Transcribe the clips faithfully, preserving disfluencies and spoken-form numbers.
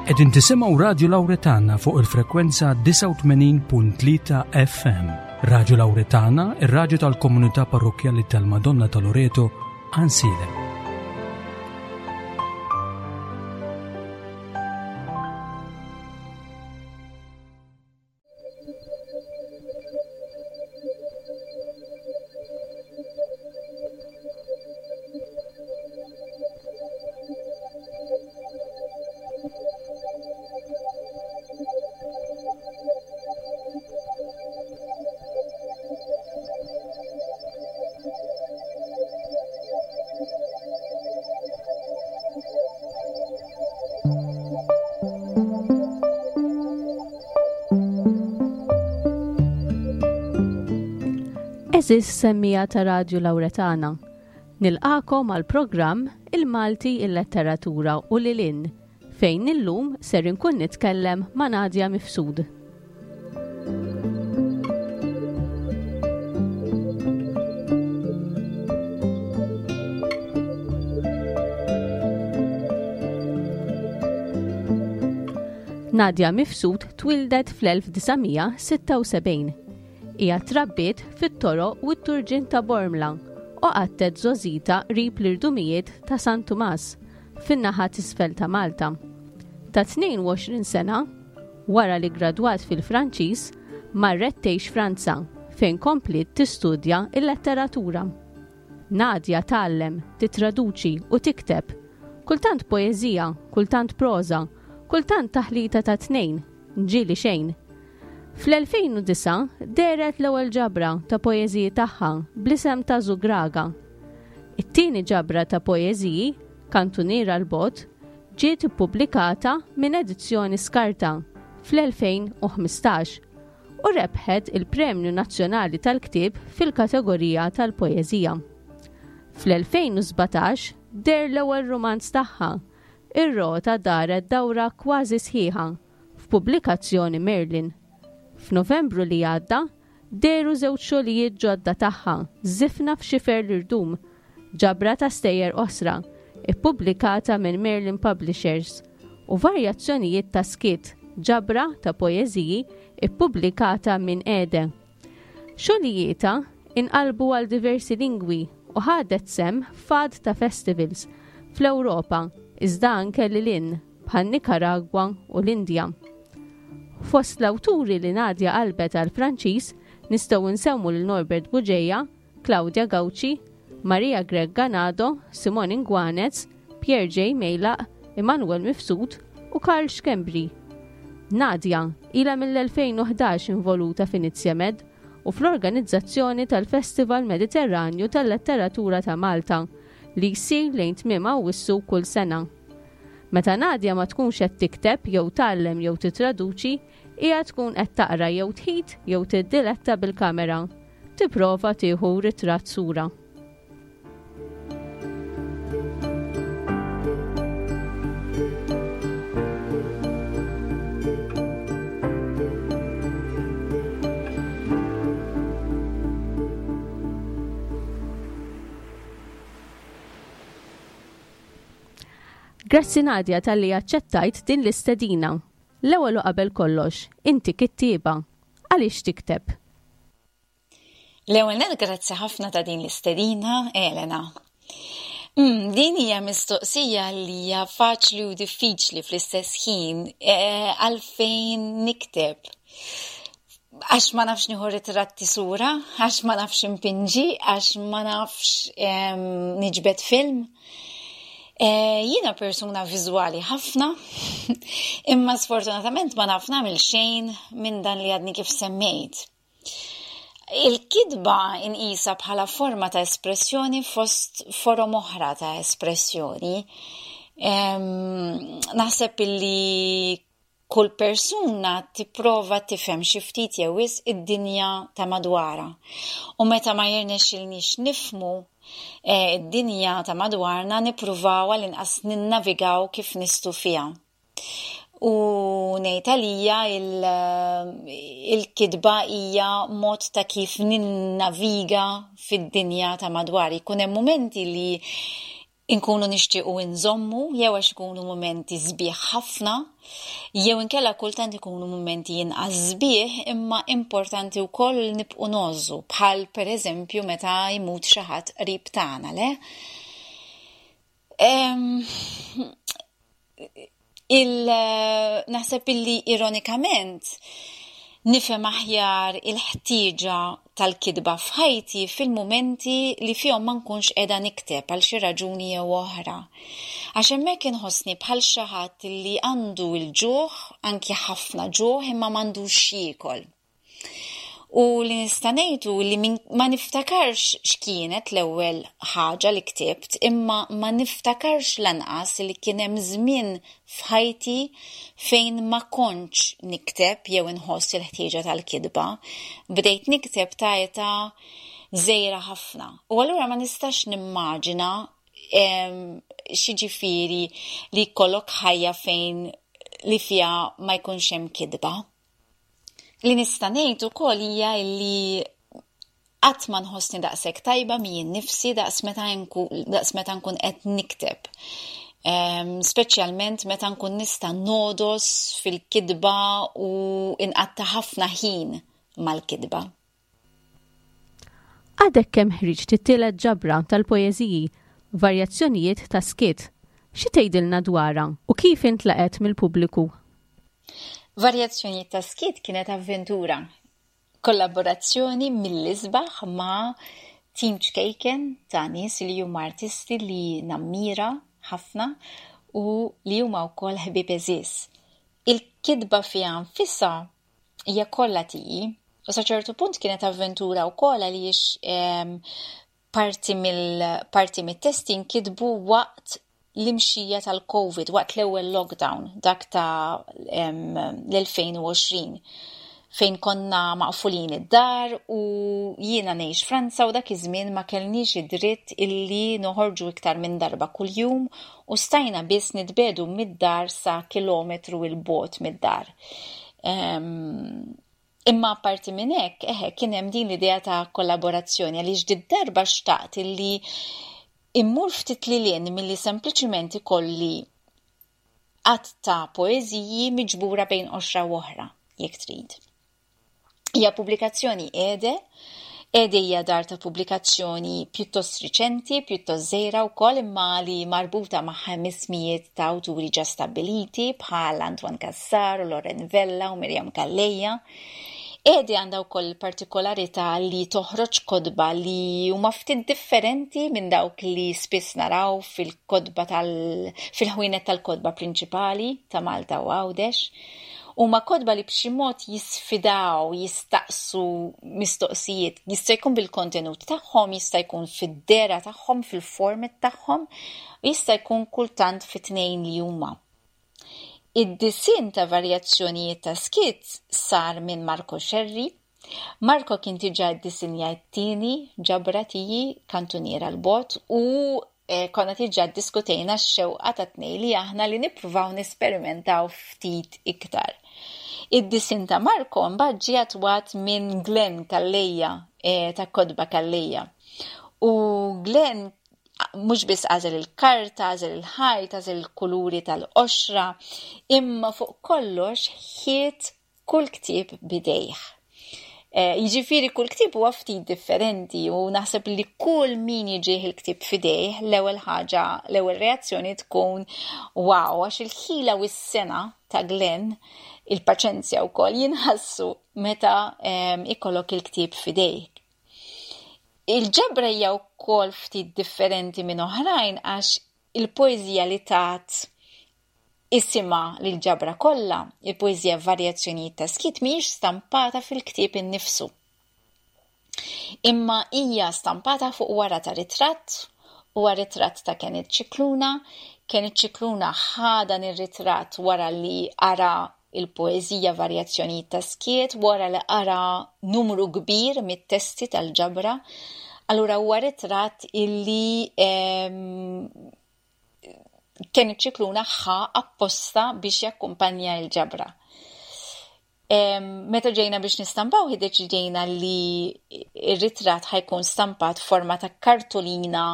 Qegħdin tisimgħu Radju Lawretana fuq il-frekwenza disgħa u tmenin punt tlieta F M. Radju Lawretana, ir-radju tal-Komunità Parrokkjali tal-Madonna ta' Loreto, Għajnsielem. Għeżież semmiegħa ta' Radju Lawretana. Nilqagħkom għal programm Il-Malti, il-Letteratura u lil hinn, fejn illum ser inkun nitkellem ma' Nadia Mifsud. Nadia Mifsud twildet fl-elf disa' mija sitta u sebgħin. Hija trabbiet fit-toroq u t-turġien ta' Bormla u qattgħet żgħożitha qrib l-irdumijiet ta' San Tumas fin-naħa t'isfel ta' Malta. Ta' tnejn u għoxrin sena, wara li gradwat fil-Franċiż, marret tgħix Franza fejn kompliet tistudja il-letteratura. Nadia tgħallem, titraduċi u tikteb. Kultant poeżija, kultant proża, kultant taħlita ta' tnejn, ġieli xejn. Fl-elfejn u disgħa dehret l-ewwel ġabra ta' poeżiji tagħha bl-isem ta' Zugraga. It-tieni ġabra ta' poeżiji, Kantuniera 'l Bogħod, ġiet ippubblikata minn Edizzjoni Skarta fl-elfejn u ħmistax u rebħet il-Premju Nazzjonali tal-Ktieb fil-kategorija tal-poeżija. Fl-elfejn u sbatax deher l-ewwel rumanz tagħha, Ir-Rota daret dawra kważi sħiħa, f'pubblikazzjoni Merlin. F'Novembru li għadda, dehru żewġ xogħlijiet ġodda tagħha, Żifna f'xifer l-irdum, ġabra ta' stejjer qosra, ippubblikata minn Merlin Publishers, u Varjazzjonijiet ta' Skiet, ġabra ta' poeżiji ippubblikata minn Ede. Xogħlijietha inqalbu għal diversi lingwi u ħadet sehem f'għadd ta' festivals fl-Ewropa, iżda anke lil hinn bħal Nicaragua u l-Indja. Fost l-awturi li Nadia qalbet għal Franċiż nistgħu nsemmu lil Norbert Bugeja, Claudia Gauci, Maria Grech Ganado, Simone Inguanez, Pierre J. Mejlaq, Immanuel Mifsud u Karl Schembri. Nadia ila mill-elfejn u ħdax involuta f'Inizjamed u fl-organizzazzjoni tal-Festival Mediterranju tal-Letteratura ta' Malta li jsir lejn tmiem Awwissu kull sena. Meta Nadia ma tkunx qed tikteb jew tgħallem jew titraduċi, hija tkun qed taqra jew tħit jew tiddiletta bil-kamera. Tipprova tieħu ritratt sura. Grazzi, Nadia, talli aċċettajt din l-istedina. L-ewwel u qabel kollox, inti kittieba. Għaliex tikteb? L-ewwel nett, grazzi ħafna ta' din l-istedina, Elena. Mm, din hija mistoqsija li hija faċli u diffiċli fl-istess ħin. E, għalfejn nikteb? Għax ma nafx nieħu ritratti sura, għax ma nafx impinġi, għax ma nafx niġbed film. E, jiena persuna viżwali ħafna, imma sfortunatament ma naf nagħmel xejn minn dan li għadni kif semmejt. Il-kitba inqisha bħala forma ta' espressjoni fost forom oħra ta' espressjoni. Naħseb illi kull persuna tipprova tifhem xi ftit jew wisq id-dinja ta' madwarha. U meta ma jirnexxilniex nifhmu eh, id-dinja ta' madwarna, nippruvaw għall-inqas ninnavigaw kif nistgħu fiha. U ngħid għalija il-kitba hija mod ta' kif ninnaviga fid-dinja ta' madwar. Jkun hemm momenti li Inkunu nixtiequ nżommu jew għax ikunu mumenti sbieħ ħafna, jew inkella kultant ikunu mumenti inqas sbieħ imma importanti wkoll nibqgħu ngħożżu, bħal pereżempju meta jmut xi ħadd qrib tagħna, le? Em, il naħseb illi ironikament nifhem aħjar il-ħtieġa tal-kitba f'ħajti fil-mumenti li fihom ma nkunx qiegħda nikteb għal xi raġuni jew oħra. Għax hemmhekk inħossni bħal xi ħadd li għandu l-ġuħ, anki ħafna ġuħ, imma m'għandux x'jiekol. U li nista' ngħidu li ma niftakarx x'kienet l-ewwel ħaġa li ktibt, imma ma niftakarx lanqas li kien hemm żmien f'ħajti fejn ma kontx nikteb jew inħoss il-ħtieġa tal-kitba. Bdejt nikteb ta' età żgħira ħafna. U allura ma nistax nimmaġina x'jiġifieri li jkollok ħajja fejn li fiha ma jkunx hemm kitba. Li nista' ngħid ukoll hija li qatt ma nħossni daqshekk tajba miegħi nnifsi daqs meta daqs meta nkun qed nikteb. Um, speċjalment meta nkun nista' nogħdos fil-kitba u inqatta' ħafna ħin mal-kitba. Għadek kemm ħriġt it-tielet ġabra tal-poeżiji, Varjazzjonijiet ta' Skiet. Xi tgħidilna dwarha u kif intlaqet mill-pubbliku? Varjazzjonijiet ta' Skiet kienet avventura, kollaborazzjoni mill-isbaħ ma' tim ċkejken ta' nies li huma artisti li nammira ħafna u li huma wkoll ħbieb għeżież. Il-kitba fiha nfisha hija kollha tiegħi u sa ċertu punt kienet avventura wkoll għaliex parti mill parti mit-testi nkitbu waqt l-imxija tal-Covid, waqt l-ewwel lockdown, dak ta' l-elfejn u għoxrin, fejn konna maqfulin id-dar u jiena ngħix Franza u dak iż-żmien ma kellniex id-dritt illi noħorġu iktar minn darba kuljum u stajna biss nitbedu mid-dar sa kilometru 'il bogħod mid-dar. Imma apparti minn hekk, eħe, kien hemm din l-idea ta' kollaborazzjoni għaliex did-darba xtaqt illi immur ftit lil hinn milli sempliċiment ikolli għadd ta' poeżiji miġbura bejn qoxra u oħra, jekk trid. Hija pubblikazzjoni Ede, Ede hija dar ta' pubblikazzjoni pjuttost riċenti, pjuttost żgħira wkoll, imma li marbuta ma' ħames mijiet ta' awturi ġa stabbiliti bħal Antoine Cassar, Loren Vella u Miriam Calleja. Ede għandha wkoll partikolarità li toħroġ kotba li huma ftit differenti minn dawk li spiss naraw fil-kotba tal, fil-ħwienet tal-kotba prinċipali ta' Malta u Għawdex. Huma kotba li b'xi mod jisfidaw, jistaqsu mistoqsijiet, jista' jkun bil-kontenut tagħhom, jista' jkun fid-dehra tagħhom, fil-format tagħhom, u jista' jkun kultant fit-tnejn li huma. Id-disinn ta' Varjazzjonijiet ta' Skiet sar minn Marco Scerri. Marco kien diġà ddisinja t-tieni ġabra tiegħi, Kantuniera l-Bot, u eh, konna diġà ddiskutejna x-xewqa ta' tnejn li aħna li nippruvaw nesperimentaw ftit iktar. Id-disinn ta' Marco mbagħad ġie attwat minn Glenn Calleja, eh, ta' Kotba Calleja. U Glenn mhux biss għażel il-karta, għażel il-ħajt, għażel il-kuluri tal-qoxra, imma fuq kollox ħiet kull ktieb bidejh. Eh, jiġifieri kull ktieb huwa ftit differenti u naħseb li kull min jiġih il-ktieb f'idejh, l-ewwel ħaġa, l-ewwel reazzjoni tkun wow, għax il-ħila u s-sena ta' Glenn, il-paċenzja wkoll jinħassu meta, ehm, ikollok il-ktieb f'idejk. Il-ġabra hija wkoll ftit differenti minn oħrajn għax il-poeżija li tat isimha lil ġabra kollha, il-poeżija Varjazzjonijiet ta' Skiet, mhijiex stampata fil-ktieb innifsu. Imma hija stampata fuq wara ta' ritratt, huwa ritratt ta' Kenneth Scicluna. Kenneth Scicluna ħa dan ir-ritratt wara li qara il-poeżija Varjazzjonijiet ta' Skiet, wara li qara numru kbir mit-testi tal-ġabra. Allura huwa ritratt illi, ehm, Kenneth Scicluna ħa apposta biex jakkumpanja l-ġabra. Meta ġejna biex nistampaw, iddeċidejna li ir-ritratt ħa jkun stampat forma ta' kartolina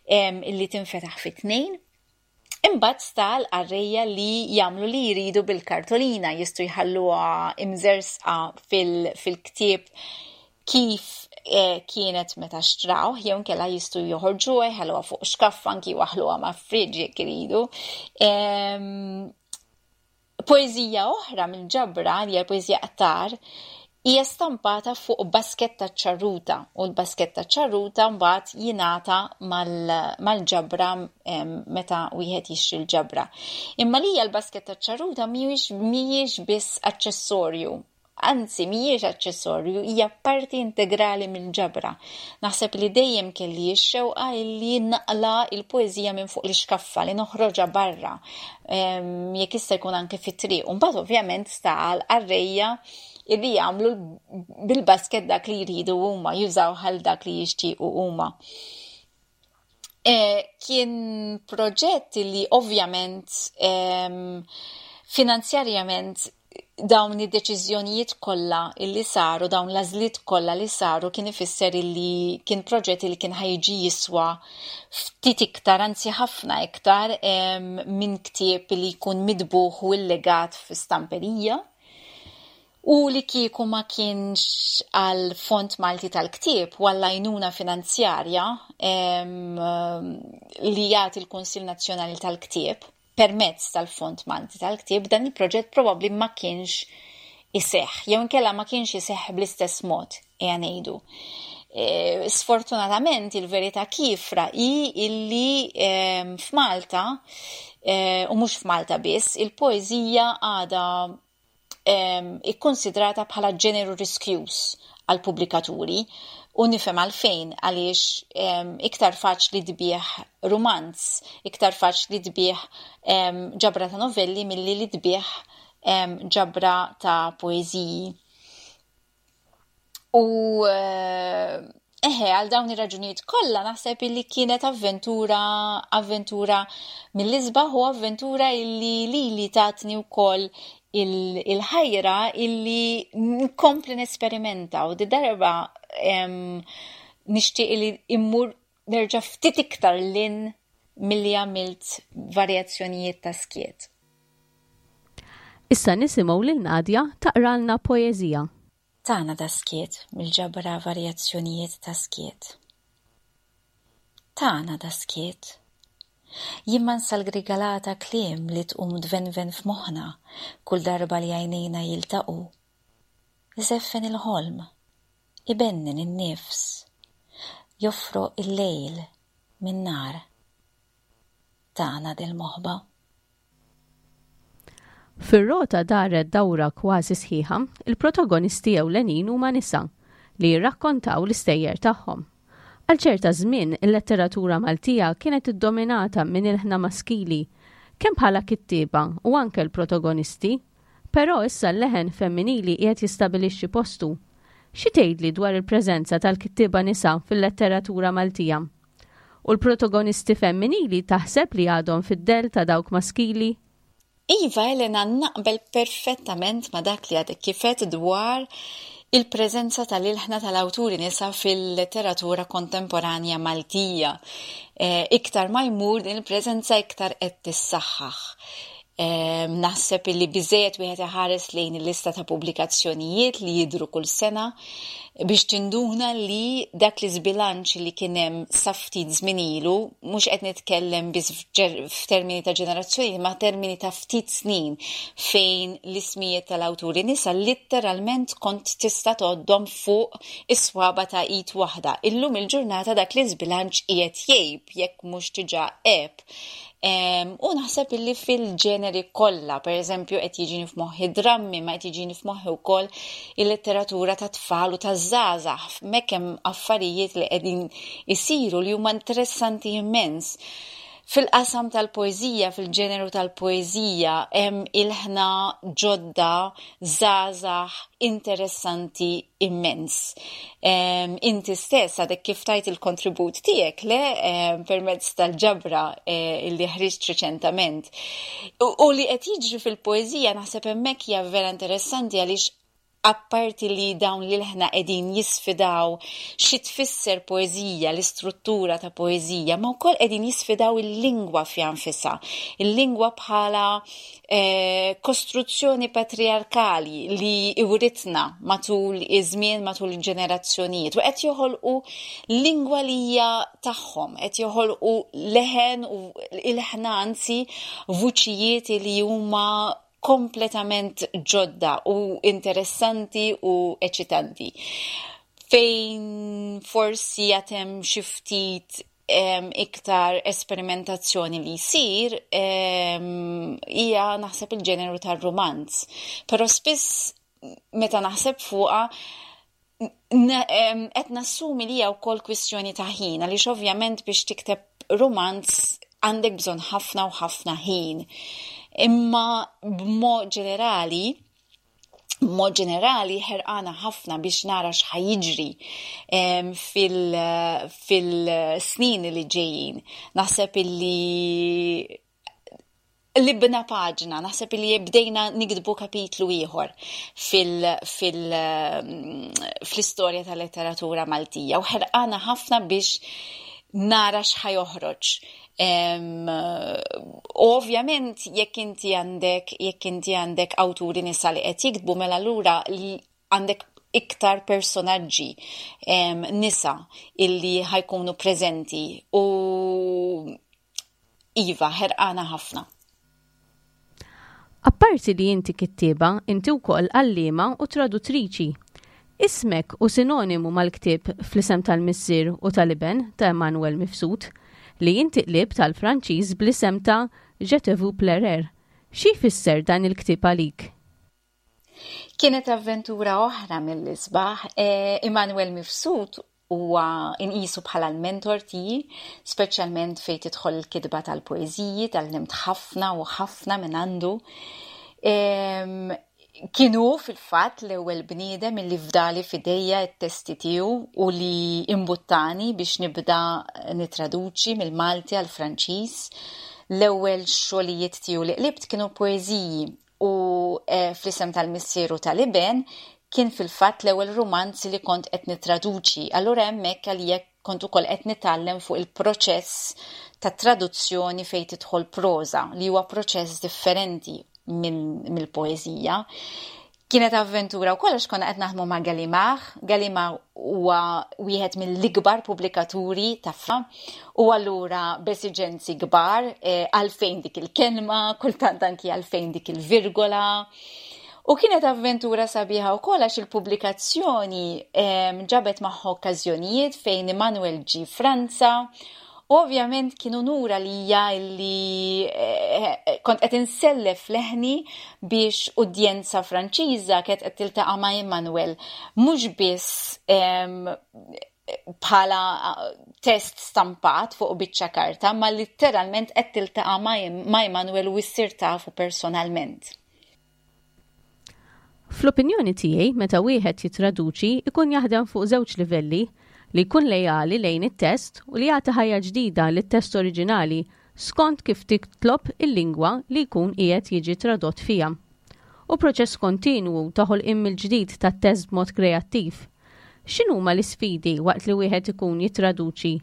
illi tinfetaħ fi tnejn. Imbagħad sta għall-qarrejja li jagħmlu li jridu bil-kartolina, jistgħu jħalluha imżersqa fil-ktieb kif eh, kienet meta xtraw, jew inkella jistgħu joħorġuha, jħalluha fuq xkaffa, anki jwaħħluha ma' fridge jekk iridu. Poeżija oħra mill-ġabra, li hija poeżija "Qtar", hija stampata fuq basketta ċarruta u l-basketta ċarruta mbagħad jingħata mal-ġabra meta wieħed jixtri l-ġabra. Imma li hija l-basketta ċarruta mhijiex mhijiex biss aċċessorju. Anzi, mhijiex aċċessorju, hija parti integrali mill-ġabra. Naħseb li dejjem kelli x-xewqa li naqla' il-poeżija minn fuq l-iskaffa, li noħroġha barra, jekk jista' jkun anke fit-triq. U mbagħad ovvjament sta għall-qarrejja illi jagħmlu bil-basket dak li jridu huma, jużaw għal dak li jixtiequ huma. E, kien proġett li ovvjament finanzjarjament dawn id-deċiżjonijiet kollha illi saru, dawn l-għażliet kollha li saru, kien ifisser illi kien proġett li kien ħa jiġi jiswa ftit iktar, anzi ħafna iktar minn ktieb li jkun mitbugħ u illegat fi stamperija. U li kieku ma kienx għal Fond Malti tal-Ktieb u għall-għajnuna finanzjarja li jagħti l-Kunsill Nazzjonali tal-Ktieb permezz tal-Fond Malti tal-Ktieb, dan il-proġett probabbli ma kienx iseħħ, jew inkella ma kienx iseħħ bl-istess mod, ejja ngħidu. E, sfortunatament il-verità kiefra hi illi f'Malta, e, u mhux f'Malta biss, il-poeżija għadha ikkonsidrata bħala ġeneru riskjuż għal pubblikaturi u nifhem għalfejn, għaliex iktar faċli tbigħ rumanz, iktar faċli tbigħ ġabra ta' novelli milli li tbigħ ġabra ta' poeżiji. U eh, eħe, għal dawn ir-raġunijiet kollha naħseb illi kienet avventura avventura mill-isbaħ u avventura illi li li tatni wkoll il-ħajra illi nkompli nesperimenta u di darba nixtieq li immur nerġa' ftit iktar 'l hinn milli għamilt varjazzjonijiet ta' Skiet. Issa nisimgħu lil Nadja taqralna poeżija. Tagħna das-skiet, mill-ġabra Varjazzjonijiet ta' Skiet. Tagħna das-skiet. Jimmansa l-grigalata kliem li tqum tvenven f'moħħna kull darba li għajnejna jiltaqu. Iżeffen il-ħolm, ibennen in-nifs, jofroq il-lejl minn nar. Tagħna dil-moħba. Fir-Rota daret dawra kważi sħiħa, il-protagonisti ewlenin huma nisa li jirrakkontaw l-istejjer tagħhom. Għal ċerta żmien il-letteratura Maltija kienet iddominata minn ilħna maskili, kemm bħala kittieba u anke l-protagonisti, però issa l-leħen femminili qiegħed jistabilixxi postu. Xi tgħidli dwar il-preżenza tal-kittieba nisa fil-letteratura Maltija? U l-protagonisti femminili taħseb li għadhom fid-dell ta' dawk maskili? Iva, Elena, naqbel perfettament ma' dak li għadek kif għedt dwar il-preżenza tal-ilħna tal-awturi nisa fil-letteratura kontemporanja Maltija. E, iktar ma jmur din il-preżenza iktar qed tissaħħaħ. E, naħseb illi biżejjed wieħed iħares lejn il-lista ta' pubblikazzjonijiet li jidru kull sena biex tinduna li dak l-iżbilanċ li kien hemm sa ftit żmien ilu, mhux qed nitkellem biss f'termini ta' ġenerazzjoni, ma termini ta' ftit snin, fejn l-ismijiet tal-awturi nisa litteralment kont tista' tgħoddhom fuq is-swaba ta' id waħda. Illum il-ġurnata dak l-iżbilanċ qiegħed jgħib, jekk mhux diġà għeb. U naħseb illi fil-ġeneri kollha, per eżempju qed jiġini f'moħħi drammi, ma qed jiġini f'moħħi wkoll il-letteratura ta' tfal u ta' żgħażagħ, hemmhekk hemm affarijiet li qegħdin isiru li huma interessanti immens. Fil-qasam tal-poeżija, fil-ġeneru tal-poeżija, hemm ilħna ġodda, żgħażagħ, interessanti immens. Um, inti stess għadek kif tajt il-kontribut tiegħek le um, permezz tal-ġabra eh, illi ħriġt reċentament. U, u li qed jiġri fil-poeżija naħseb hemmhekk hija vera interessanti, għaliex apparti li dawn l-ilħna qegħdin jisfidaw xi tfisser poeżija, l-istruttura ta' poeżija, ma wkoll qegħdin jisfidaw il-lingwa fiha nfisha, il-lingwa bħala eh, kostruzzjoni patriarkali li iwritna matul iż-żmien, matul il-ġenerazzjonijiet, u qed joħolqu lingwa li hija tagħhom, qed joħolqu leħen u ilħna, anzi vuċijiet li huma kompletament ġodda u interessanti u eċitanti. Fejn forsi għad hemm xi ftit um, iktar esperimentazzjoni li jsir hija um, naħseb il-ġeneru tar-romanz. Però spiss meta naħseb fuqha qed nassumi li hija wkoll kwistjoni ta' ħin, għaliex ovvjament biex tikteb romanz għandek bżonn ħafna u ħafna ħin. Imma b'mod ġenerali, b'mod ġenerali ħerqana ħafna biex nara x'ħa jiġri fil-snin li ġejjin. Naħseb illi qlibna paġna, naħseb li bdejna niktbu kapitlu ieħor fil-istorja tal-letteratura Maltija u ħerqana ħafna biex nara x'ħa joħroġ. U ovvjament jekk inti għandek jekk inti għandek awturi nisa li qed jiktbu, mela allura għandek iktar personaġġi nisa illi ħa jkunu preżenti u iva, ħerqana ħafna. Apparti li inti kittieba, inti wkoll għalliema u traduttriċi. Ismek hu sinonimu mal-ktieb Fl-Isem tal-Missier u tal-Iben ta' Emanuel Mifsud, li inti qlibt għall-Franċiż bl-isem ta' Je te vu pleurer. Xi jfisser dan il-ktieb għalik? Kienet avventura oħra mill-isbaħ. Eh, Emanuel Mifsud huwa inqisu bħala l-mentor tiegħi, speċjalment fejn tidħol il-kitba tal-poeżiji, tgħallimt ħafna u ħafna minn għandu. Kien hu fil-fatt l-ewwel bniedem illi fdali f'idejja t-testi tiegħu u li imbuttani biex nibda nitraduċi mill-Malti għal Franċiż. L-ewwel xogħlijiet tiegħu li qlibt kienu poeżiji u eh, Fl-Isem tal-Missier u tal-Iben kien fil-fatt l-ewwel romanzi li kont qed nitraduċi. Allura hemmhekk għalija kont ukoll qed nitgħallem fuq il-proċess ta' traduzzjoni fejn tidħol proża, li huwa proċess differenti mill-poeżija. Kienet avventura u kollox, konna qed naħdmu ma' Gallimard. Gallimard huwa wieħed mill-ikbar pubblikaturi ta' u allura b'esiġenzi kbar eh, għalfejn dik il-kelma, kultant anki għalfejn dik il-virgola. U kienet avventura sabiħa u għax il-pubblikazzjoni ġabet magħha okkażjonijiet fejn Emanuel ġie Franza. Ovvjament kien unur għalija li eh, kont qed insellef leħni biex udjenza Franċiża kienet qed tiltaqa' ma' Emanuel mhux biss bħala test stampat fuq biċċa karta, ma literalment qed tiltaqa' ma' Emanuel u issir tafu personalment. Fl-opinjoni tiegħi, meta wieħed jitraduċi ikun jaħdem fuq żewġ livelli: li jkun lejali lejn it-test u li jagħti ħajja ġdida lit-test oriġinali skont kif titlob il-lingwa li jkun qiegħed jiġi tradott fiha. U proċess kontinwu ta' ħolqien mill-ġdid tat-test b'mod kreattiv. X'inhuma l-isfidi waqt li wieħed ikun jitraduċi?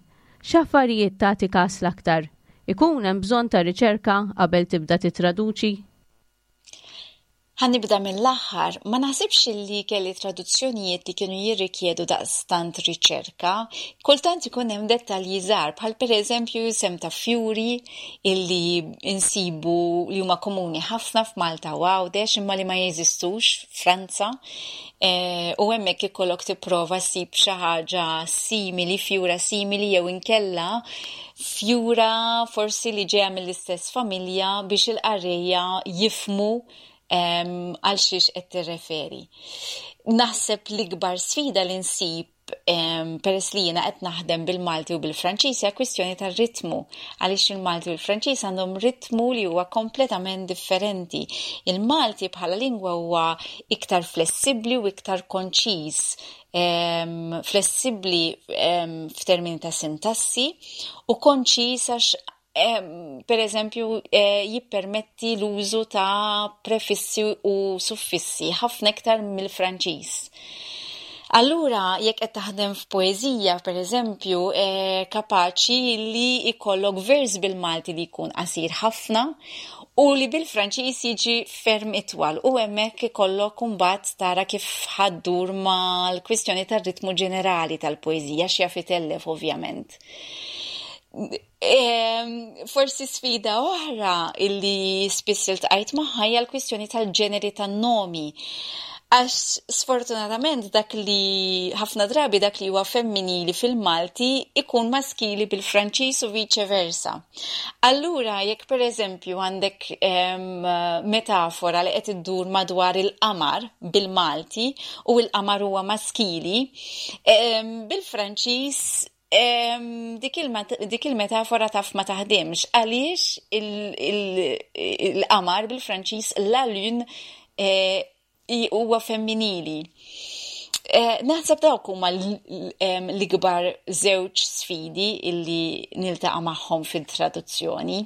X'affarijiet tagħti kas l-aktar? Ikun hemm bżonn ta' riċerka qabel tibda titraduċi? Ħa nibda mill-aħħar, ma naħsibx li kelli traduzzjonijiet li kienu jirrikjedu daqstant riċerka. Kultant ikun hemm dettalji żgħar, bħal pereżempju isem ta' fjuri illi insibu li huma komuni ħafna f'Malta u Għawdex imma li ma jeżistux Franza. E, u hemmhekk ikollok tipprova ssib xi ħaġa simili, fjura simili jew inkella fjura forsi li ġejja mill-istess familja biex il-qarrejja jifhmu għal xiex qed tirreferi. Naħseb l-ikbar sfida li nsib peress li jiena qed naħdem bil-Malti u bil-Franċiż, hija kwistjoni tar-ritmu, għaliex il-Malti u l-Franċiż għandhom ritmu li huwa kompletament differenti. Il-Malti bħala lingwa huwa iktar flessibbli u iktar konċiż, flessibbli f'termini ta' sintassi u konċiż għax, per eżempju, eh, jippermetti l-użu ta' prefissi u suffissi ħafna iktar mill-Franċiż. Allura, jekk qed taħdem f'poeżija, per eżempju, eh, kapaċi li ikollok vers bil-Malti li jkun qasir ħafna u li bil-Franċiż jiġi ferm itwal, u hemmhekk ikollok imbagħad tara kif ħa ddur mal-kwistjoni tar-ritmu ġenerali tal-poeżija, x'jaf itellef, ovvjament. Forsi sfida oħra illi spiss iltqajt magħha hija l-kwistjoni tal-ġeneri tan-nomi. Għax sfortunatament dak li ħafna drabi dak li huwa femminili fil-Malti ikun maskili bil-Franċiż u vice versa. Allura, jekk per eżempju għandek metafora li qed iddur madwar il-qamar bil-Malti u l-qamar huwa maskili, bil-Franċiż dik il-metafora taf ma taħdimx għaliex il-qamar bil-Franċiż, la lune, eh, huwa femminili. Eh, naħseb dawk huma l-ikbar żewġ sfidi illi niltaqa' magħhom fil-traduzzjoni.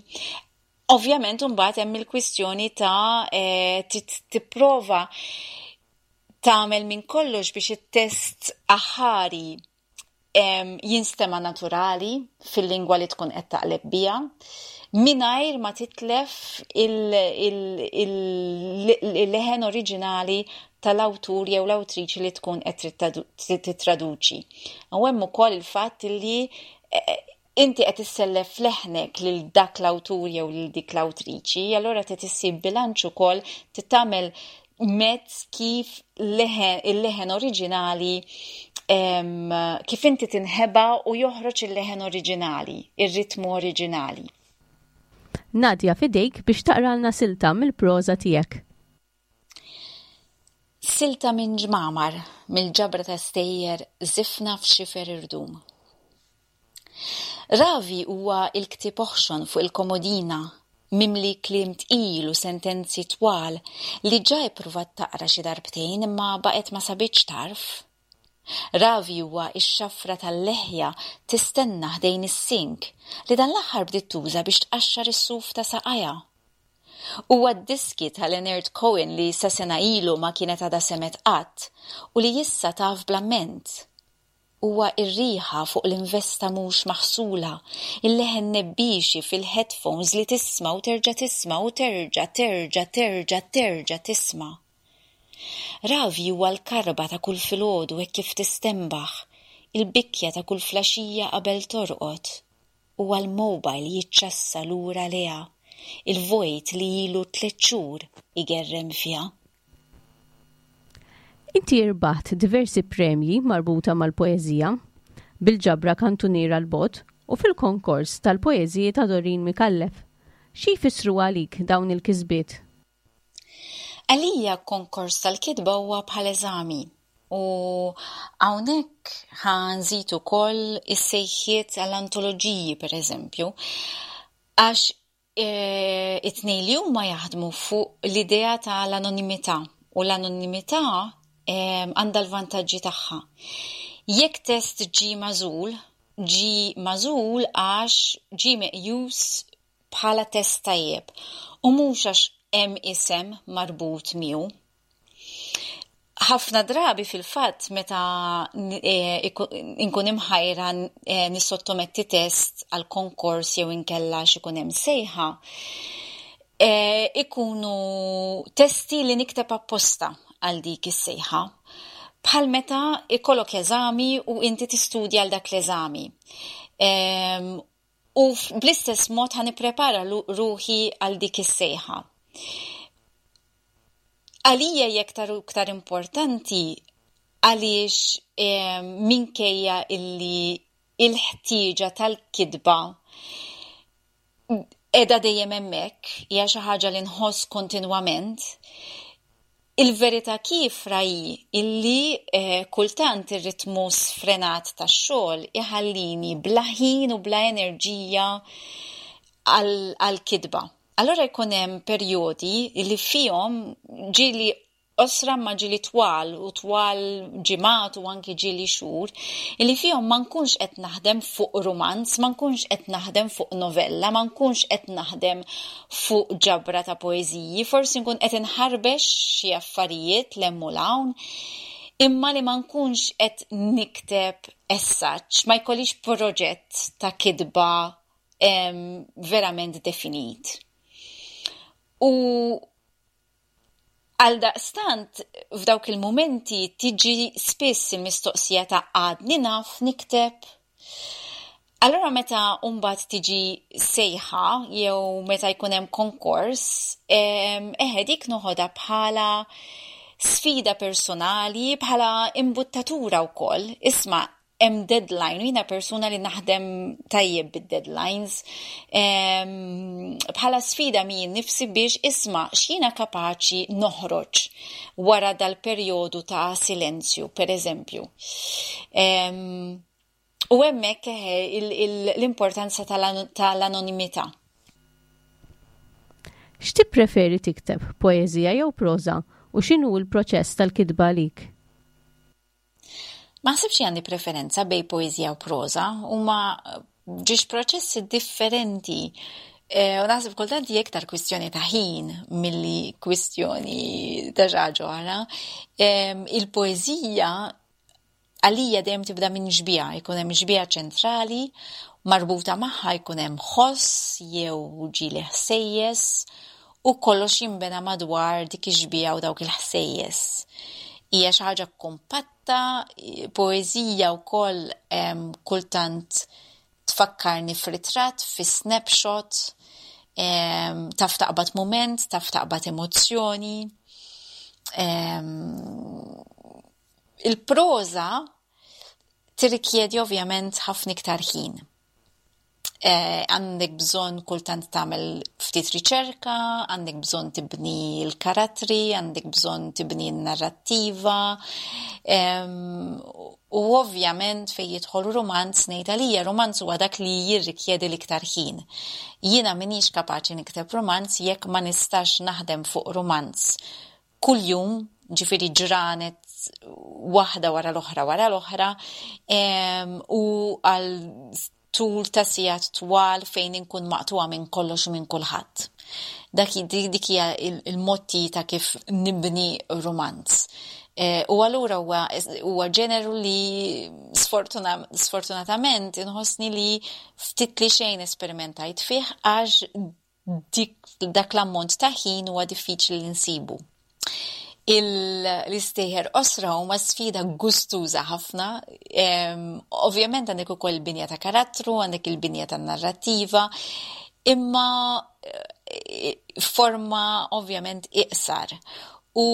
Ovvjament imbagħad hemm il-kwistjoni ta' eh, tipprova tagħmel minn kollox biex it-test aħari jinstema naturali fil-lingwa li tkun qed taqleb biha, mingħajr ma titlef il-leħen oriġinali tal-awtur jew l-awtriċi li tkun qed titraduċi. U hemm ukoll il-fatt li eh, inti qed issellef leħnek lil dak l-awtur jew lil dik l-awtriċi, allura trid issib bilanċ ukoll, tagħmel mezz kif il-leħen oriġinali, kif inti tinħeba u joħroġ il-leħen oriġinali, ir-ritmu oriġinali. Nadia, f'idejk biex taqralna silta mill-proża tiegħek. Silta minn Ġmamar, mill-ġabra ta' stejjer Żifna f'Xifer Irdum. Ravi huwa il-ktieb oħxon fuq il-komodina, mimli kliem tqil u sentenzi twal li ġa ippruvat taqra xi darbtejn imma baqgħet ma sabitx tarf. Ravi huwa ix-xafra tal-leħja tistenna ħdejn is-sink li dan l-aħħar bdiet tuża biex tqaxxar is-suf ta' saqajha. Huwa d-diski ta' Leonard Cohen li sa sena ilu ma kienet għadha semgħet qatt u li issa taf bl-amment. Huwa ir-riħa fuq l-investa mhux maħsula, il-leħen nebbixi fil-headphones li tisma' u terġa' tisma' u terġa' terġa' terġa' terġa' tisma'. Ravi huwa l-karba ta' kull filgħodu hekk kif tistenbaħ, il-bikja ta' kull filgħaxija qabel torqod. Huwa l-mobile jiċċassa lura lejha, il-vojt li ilu tliet xhur igerrem fiha. Inti irbaħt diversi premji marbuta mal-poeżija, bil-ġabra Kantuniera 'l Bogħod u fil-konkors tal-poeżiji ta' Doreen Micallef. Xi jfissru għalik dawn il-kisbiet? Għalija konkors tal-kitba huwa bħal eżami u hawnhekk ħa nżid ukoll is-sejħiet għall-antoloġiji, per eżempju, għax e, it-tnejn li huma jaħdmu fuq l-idea tal-anonimità u l-anonimità għandha l-vantaġġi tagħha. Jekk test ġi magħżul, ġi magħżul għax ġi meqjus bħala test tajjeb u mhux għax hemm isem marbut miegħu. Ħafna drabi, fil-fatt, meta e, inkun imħajra e, nissottometti test għal konkors jew inkella x'ikun hemm sejħa, e, ikunu testi li nikteb apposta għal dik is-sejħa. Bħal meta ikollok eżami u inti tistudja għal dak l-eżami. U bl-istess mod ħa nipprepara ruħi għal dik is-sejħa. Għalija hija iktar u iktar importanti għaliex minkejja illi il-ħtieġa tal-kitba qiegħda dejjem hemmhekk, hija xi ħaġa li nħoss kontinwament. Il-verità kiefra hi illi eh, kultant ir-ritmu sfrenat tax-xogħol iħallini bla ħin u bla enerġija għal-kitba. Allora jkun hemm perjodi li fihom ġieli qosra ma ġieli twal u twal ġimgħat u anki ġieli xhur, illi fihom ma nkunx qed naħdem fuq rumanz, ma nkunx qed naħdem fuq novella, ma nkunx qed naħdem fuq ġabra ta' poeżiji, forsi nkun qed inħarbex xi affarijiet 'l hemm u 'l hawn, imma li ma nkunx qed nikteb essaġġ, ma jkollix proġett ta' kitba verament definit. U għaldaqstant, f'dawk il-momenti tiġi spiss il-mistoqsija ta' għadni naf nikteb. Allora meta mbagħad tiġi sejħa jew meta jkun hemm konkors, eħe dik noħodha bħala sfida personali, bħala imbuttatura wkoll. Isma' hemm deadline, u jiena persuna li naħdem tajjeb bid-deadlines, bħala sfida min nifsi biex isma' x'jiena kapaċi noħroġ wara dal-perjodu ta' silenzju, per eżempju. U hemmhekk l-importanza tal-anonimità. X'tippreferi tikteb, poeżija jew proża, u x'inhu l-proċess tal-kitba għalik? Ma naħsibx għandi preferenza bejn poeżija u proża, huma żewġ proċessi differenti. E, u naħseb kultant hija iktar kwistjoni ta' ħin milli kwistjoni ta' xi ħaġa oħra. Il-poeżija għalija dejjem tibda minn xbieha, jkun hemm xbieha ċentrali, marbuta magħha jkun hemm ħoss jew ġieli ħsejjes u kollox jinbena madwar dik ix-xbieha u dawk il-ħsejjes. Hija xi ħaġa kompatta, poeżija wkoll kultant tfakkarni f'ritratt, fi snapshot, taf taqbad moment, taf taqbad emozzjoni. Il-proża tirrikjedi ovvjament ħafna iktar ħin. Għandek bżonn kultant tagħmel ftit riċerka, għandek bżonn tibni l-karattri, għandek bżonn tibni n-narrattiva. U ovvjament fejn jidħol rumanz ngħid għalija rumanz huwa dak li jirrikjedi l-iktar ħin. Jiena m'iniex kapaċi nikteb rumanz jekk ma nistax naħdem fuq rumanz kuljum, ġifieri ġranet waħda wara l-oħra wara l-oħra, u għal tul ta' sigħat twal fejn inkun maqtuwa minn kollox u minn kulħadd. Dak dik hija il-motti ta' kif nibni rumanz. U allura huwa ġeneru li sfortunatament inħossni li ftit li xejn esperimentajt fih għax dak l-ammont ta' ħin huwa diffiċli li nsibu. L-istejjer qosra huma sfida gustuża ħafna. Ovvjament għandek ukoll il-binja ta' karattru, għandek il-binja ta' narrattiva, imma forma ovvjament iqsar. U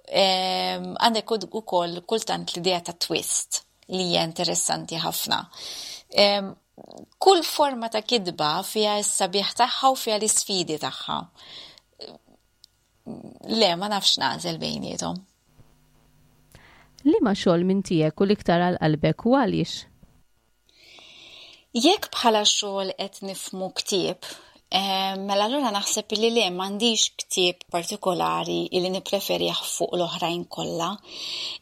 għandek ukoll kultant l-idea ta' twist li hija interessanti ħafna. Kull forma ta' kitba fiha s-sabiħ tagħha u fiha l-isfidi tagħha. Le, ma nafx nagħżel bejniethom. Liema xogħol minn tiegħek u l-iktar għal qalbek u għaliex? Jekk bħala xogħol qed nifhmu ktieb, mela allura naħseb li le m'għandix ktieb partikolari li nippreferih fuq l-oħrajn kollha.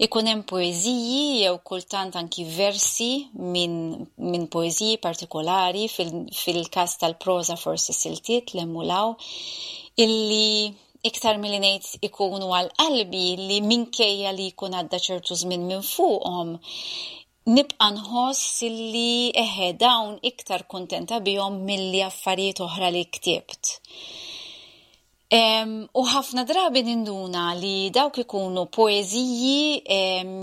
Ikun hemm poeżiji jew kultant anki versi minn min poeżiji partikolari fil-każ tal-proża forsi siltiet 'l hemm u 'l hawn illi iktar milli ngħid ikunu għal qalbi li minkejja li jkun għadda ċertu żmien minn fuqhom, nibqa' nħoss illi eħe dawn iktar kuntenta bihom milli affarijiet oħra li ktibt. U ħafna drabi ninduna li dawk ikunu poeżiji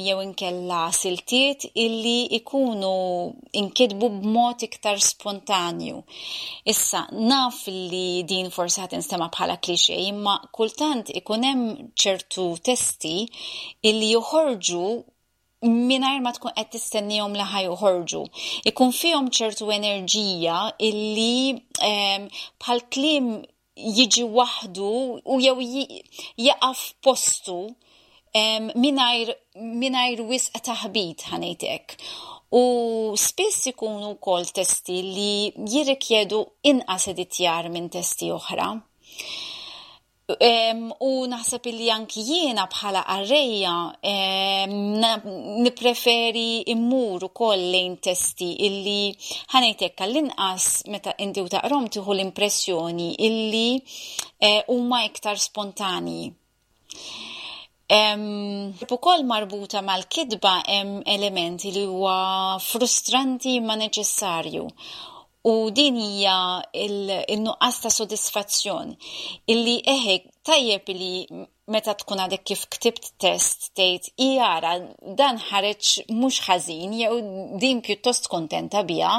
jew inkella siltiet illi ikunu inkitbu b'mod iktar spontanju. Issa, naf li din forsi ħa tinstema' bħala cliché, imma kultant ikun hemm ċertu testi illi joħorġu mingħajr ma tkun qed tistennihom li ħa joħorġu. Ikun fihom ċertu enerġija illi bħal kliem jiġi waħdu u jew jaqaf postu mingħajr wisq taħbit, ħa ngħidlek. U spiss ikunu wkoll testi li jirrikjedu inqas editjar minn testi oħra. Um, u naħseb li anki jiena bħala qarrejja um, nipreferi immur ukoll lejn testi illi, ħa ngħidlek, għall-inqas meta inti u taqrahom tieħu l-impressjoni illi eh, huma uh, iktar spontani. Um, ukoll marbuta mal-kitba hemm elementi li huwa frustranti ma neċessarju. U din hija il-nuqqas ta' sodisfazzjon illi eħe tajjeb li meta tkun għadek kif ktibt test tgħid jara dan ħareġ mhux ħażin jew din pjuttost kontenta biha.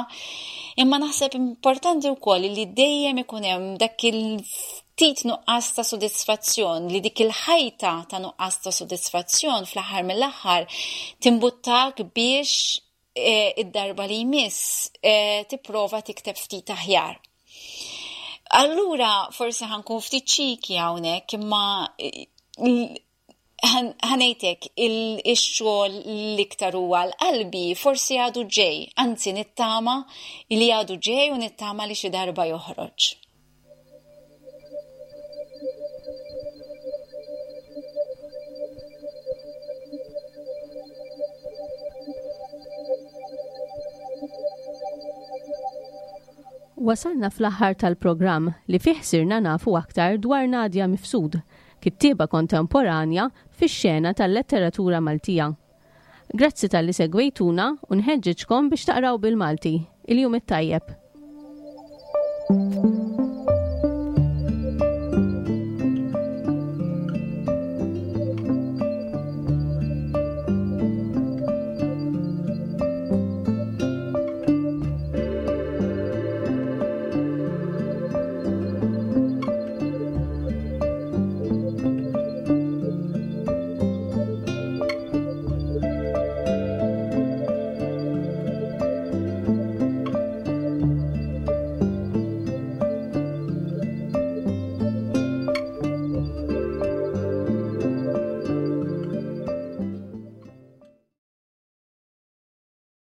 Imma naħseb importanti wkoll li dejjem ikun hemm dak il-ftit nuqqas ta' sodisfazzjon, li dik il-ħajta ta' nuqqas ta' sodisfazzjon fl-aħħar mill-aħħar timbuttak biex E, id-darba li jmiss e, tipprova tikteb ftit aħjar. Allura forsi ħa nkun ftit cheeky hawnhekk, imma ħa ngħidlek il-xogħol l-iktar huwa l-qalbi forsi għadu ġej, anzi nittama li għadu ġej u nittama li xi darba joħroġ. Wasalna fl-aħħar tal-programm li fih sirna nafu aktar dwar Nadia Mifsud, kittieba kontemporanja fix-xena tal-letteratura Maltija. Grazzi talli segwejtuna u nħeġġiġkom biex taqraw bil-Malti. Il-jum it-tajjeb.